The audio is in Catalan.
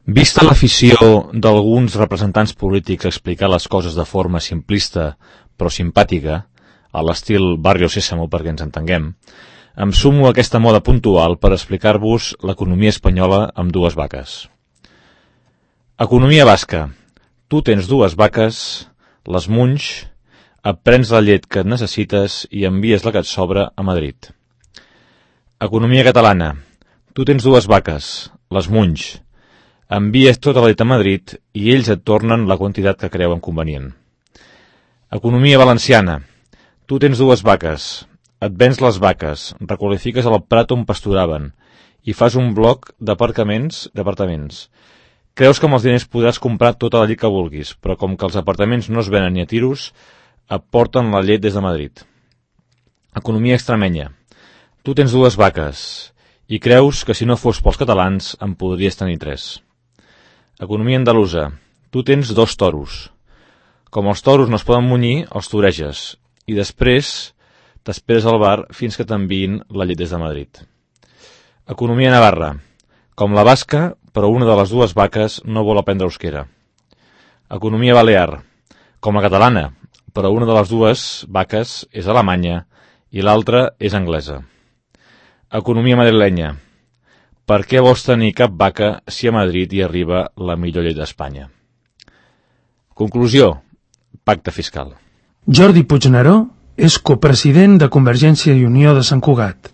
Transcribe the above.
Vista l'afició d'alguns representants polítics a explicar les coses de forma simplista però simpàtica, a l'estil Barrio Sésamo perquè ens entenguem, em sumo a aquesta moda puntual per explicar-vos l'economia espanyola amb dues vaques. Economia basca. Tu tens dues vaques, les munys, et prens la llet que et necessites i envies la que et sobra a Madrid. Economia catalana. Tu tens dues vaques, les munys, envies tota la llet a Madrid i ells et tornen la quantitat que creuen convenient. Economia valenciana. Tu tens dues vaques, et vens les vaques, requalifiques el prat on pasturaven i fas un bloc d'apartaments. Creus que amb els diners podràs comprar tota la llet que vulguis, però com que els apartaments no es venen ni a tiros, et porten la llet des de Madrid. Economia extremenya. Tu tens dues vaques i creus que si no fos pels catalans en podries tenir tres. Economia andalusa. Tu tens dos toros. Com els toros no es poden munyir, els toreges i després t'esperes al bar fins que t'enviïn la llet des de Madrid. Economia navarra. Com la basca, però una de les dues vaques no vol aprendre euskera. Economia balear. Com la catalana, però una de les dues vaques és alemanya i l'altra és anglesa. Economia madrilenya. Per què vols tenir cap vaca si a Madrid hi arriba la millor llet d'Espanya? Conclusió. Pacte fiscal. Jordi Puigneró és copresident de Convergència i Unió de Sant Cugat.